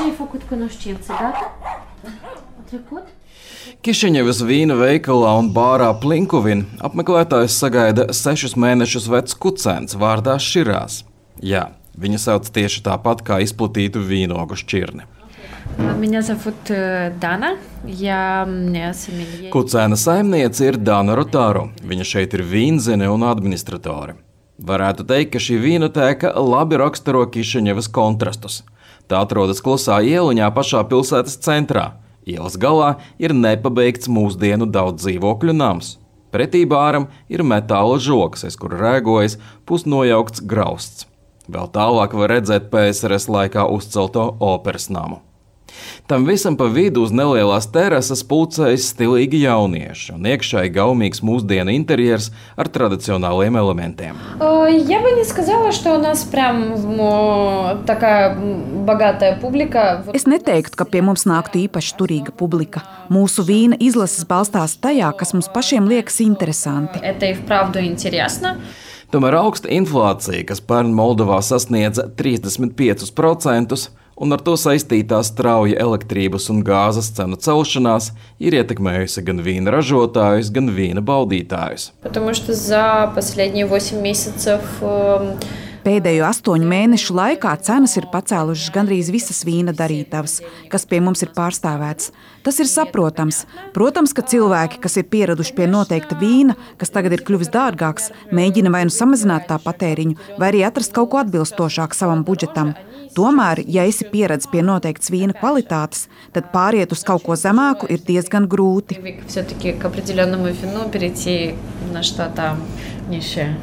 ce ai făcut cunoștințe, gata? A trecut? Kišiņevas vīna veikalā un bārā Plinkuvin apmeklētājs sagaida 6 mēnešus vecs kucēns vārdā Širās. Jā, viņa sauc tieši tāpat kā izplatītu vīnogu šķirni. Меня зовут Dana. Я sommelier. Kucēna saimniece ir Dana Rotāro. Viņa šeit ir vīnzene un administratore. Varētu teikt, ka šī vīnotēka labi raksturo Kišiņevas kontrastus. Tā atrodas klusā ieliņā pašā pilsētas centrā. Ielas galā ir nepabeigts mūsdienu daudz dzīvokļu nams. Pretī bāram ir metāla žoks, aiz kura rēgojas pusnojaukts grausts. Vēl tālāk var redzēt PSRS laikā uzcelto operas namu. Tam visam pa vidu uz nelielās terases pulcējas stilīgi jaunieši un iekšēji gaumīgs mūsdienu interjers ar tradicionāliem elementiem. Я бы не сказала, что у нас прям такая богатая публика. Es neteiktu, ka pie mums nāktu īpaši turīga publika. Mūsu vīna izlases balstās tajā, kas mums pašiem liekas interesanti. Это и вправду интересно. Tomēr augsta inflācija, kas pērn Moldovā sasniedza 35%, un ar to saistītā strauja elektrības un gāzes cenu celšanās, ir ietekmējusi gan vīna ražotājus, gan vīna baudītājus. Потому что за последние 8 месяцев Pēdējo 8 mēnešu laikā cenas ir pacēlušas gandrīz visas vīna darītavas, kas pie mums ir pārstāvētas. Tas ir saprotams. Protams, ka cilvēki, kas ir pieraduši pie noteikta vīna, kas tagad ir kļuvis dārgāks, mēģina vai nu samazināt tā patēriņu, vai arī atrast kaut ko atbilstošāku savam budžetam. Tomēr, ja esi pieredzis pie noteiktas vīna kvalitātes, tad pāriet uz kaut ko zemāku ir diezgan grūti. Все-таки к определенному вину перейти на что-то низшее.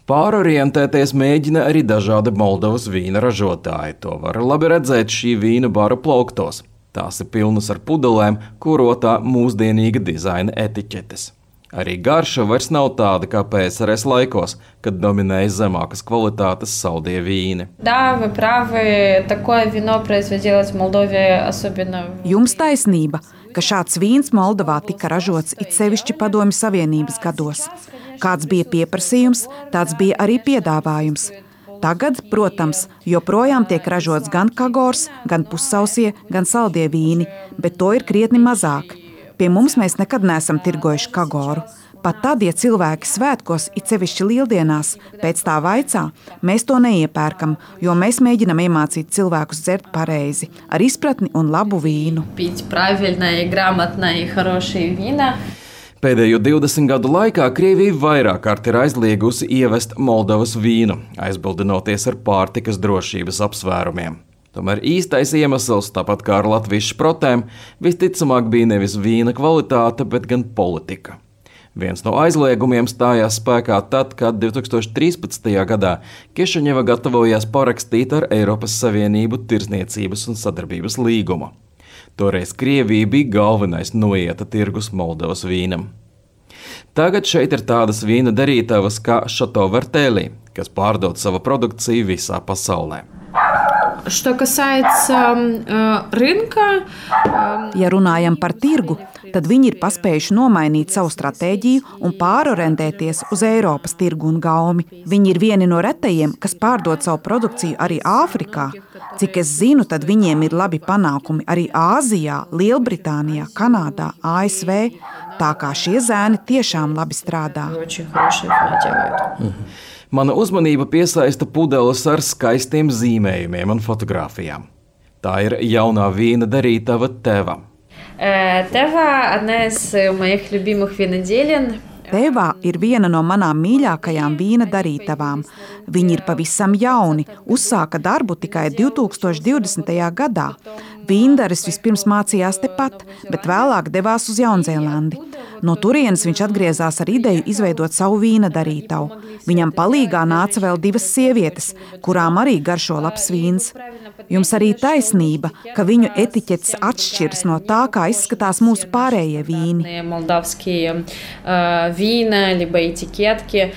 Pārorientēties mēģina arī dažādi Moldovas vīna ražotāji. To var labi redzēt šī vīna baru plauktos. Tās ir pilnas ar pudelēm, kurotā mūsdienīga dizaina etiķetes. Arī garša vairs nav tāda kā PSRS laikos, kad dominēja zemākas kvalitātes saldie vīni. Да, вы правы. Такое вино производилось в Молдове особенно. Jums taisnība, ka šāds vīns Moldovā tika ražots it sevišķi Padomju Savienības gados. Kāds bija pieprasījums, tāds bija arī piedāvājums. Tagad, protams, joprojām tiek ražots gan kagors, gan pussausie, gan saldie vīni, bet to ir krietni mazāk. Pie mums mēs nekad neesam tirgojuši kagoru. Pat tad, ja cilvēki svētkos, it sevišķi lieldienās, pēc tā vaicā, mēs to neiepērkam, jo mēs mēģinam iemācīt cilvēkus dzert pareizi, ar izpratni un labu vīnu. Пить правильно и грамотно и хорошие вина. Pēdējo 20 gadu laikā Krievija vairāk kārt ir aizliegusi ievest Moldovas vīnu, aizbildinoties ar pārtikas drošības apsvērumiem. Tomēr īstais iemesls, tāpat kā ar latviešu šprotēm, visticamāk bija nevis vīna kvalitāte, bet gan politika. Viens no aizliegumiem stājās spēkā tad, kad 2013. gadā Kišiņeva gatavojās parakstīt ar Eiropas Savienību tirzniecības un sadarbības līgumu. Toreiz Krievija bija galvenais noieta tirgus Moldovas vīnam. Tagad šeit ir tādas vīna darītavas kā Šato Vertēlī, kas pārdod savu produkciju visā pasaulē. Что касается рынка, Ja runājam par tirgu, tad viņi ir paspējuši nomainīt savu stratēģiju un pārorientēties uz Eiropas tirgu un gaumi. Viņi ir vieni no retajiem, kas pārdod savu produkciju arī Āfrikā. Cik es zinu, tad viņiem ir labi panākumi arī Āzijā, Lielbritānijā, Kanādā, ASV. Tā kā šie zēni tiešām labi strādā. очень хорошие вина делают. Mana uzmanība piesaista pudeles ar skaistiem zīmējumiem un fotogrāfijām. Tā ir jaunā vīna darītava Teva. Тева одна из моих любимых виноделин. Tevā ir viena no manām mīļākajām vīna darītavām. Viņi ir pavisam jauni, uzsāka darbu tikai 2020. gadā. Vīndaris vispirms mācījās tepat, bet vēlāk devās uz Jaunzēlandi. No turienes viņš atgriezās ar ideju izveidot savu vīna darītavu. Viņam palīgā nāca vēl 2 sievietes, kurām arī garšo labs vīns. Jums arī taisnība, ka viņu etiķetes atšķiras no tā, kā izskatās mūsu pārējie vīni. Молдавские вина, либо этикетки.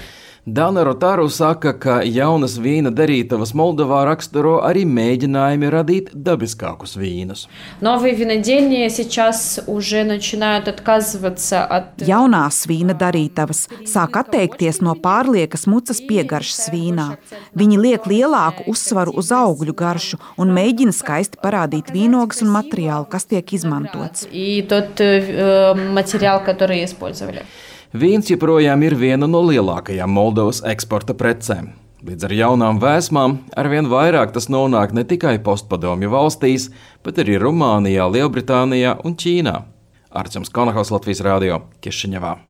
Dana Rotaru saka, ka jaunas vīna darītavas Moldovā raksturo arī mēģinājumi radīt dabiskākus vīnus. Новые винодельни сейчас уже начинают отказываться от... Jaunās vīna darītavas sāk atteikties no pārliekas mucas piegaršas vīnā. Viņi liek lielāku uzsvaru uz augļu garšu un mēģina skaisti parādīt vīnogas un materiālu, kas tiek izmantots. И тот материал, который использовали. Vīns joprojām ir viena no lielākajām Moldovas eksporta precēm. Līdz ar jaunām vēsmām arvien vairāk tas nonāk ne tikai postpadomju valstīs, bet arī Rumānijā, Lielbritānijā un Ķīnā. Arčuns Konahaus, Latvijas radio, Kišiņevā.